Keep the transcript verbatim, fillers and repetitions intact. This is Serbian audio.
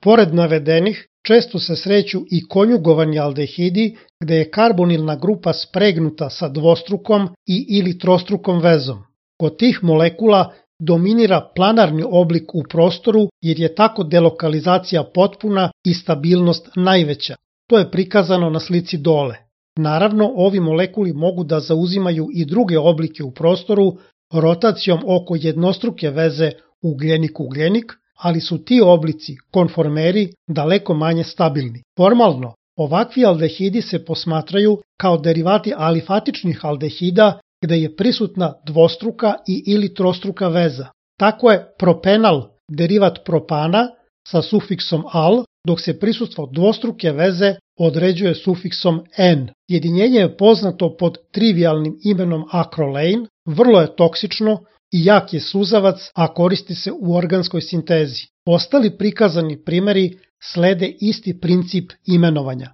Pored navedenih, često se sreću i konjugovani aldehidi gde je karbonilna grupa spregnuta sa dvostrukom i ili trostrukom vezom. Kod tih molekula dominira planarni oblik u prostoru jer je tako delokalizacija potpuna i stabilnost najveća. To je prikazano na slici dole. Naravno, ovi molekuli mogu da zauzimaju i druge oblike u prostoru rotacijom oko jednostruke veze ugljenik-ugljenik, ali su ti oblici, konformeri, daleko manje stabilni. Formalno, ovakvi aldehidi se posmatraju kao derivati alifatičnih aldehida gde je prisutna dvostruka i ili trostruka veza. Tako je propenal derivat propana sa sufiksom al, dok se prisustvo dvostruke veze određuje sufiksom n. Jedinjenje je poznato pod trivialnim imenom akrolein, vrlo je toksično i jak je suzavac, a koristi se u organskoj sintezi. Ostali prikazani primeri slede isti princip imenovanja.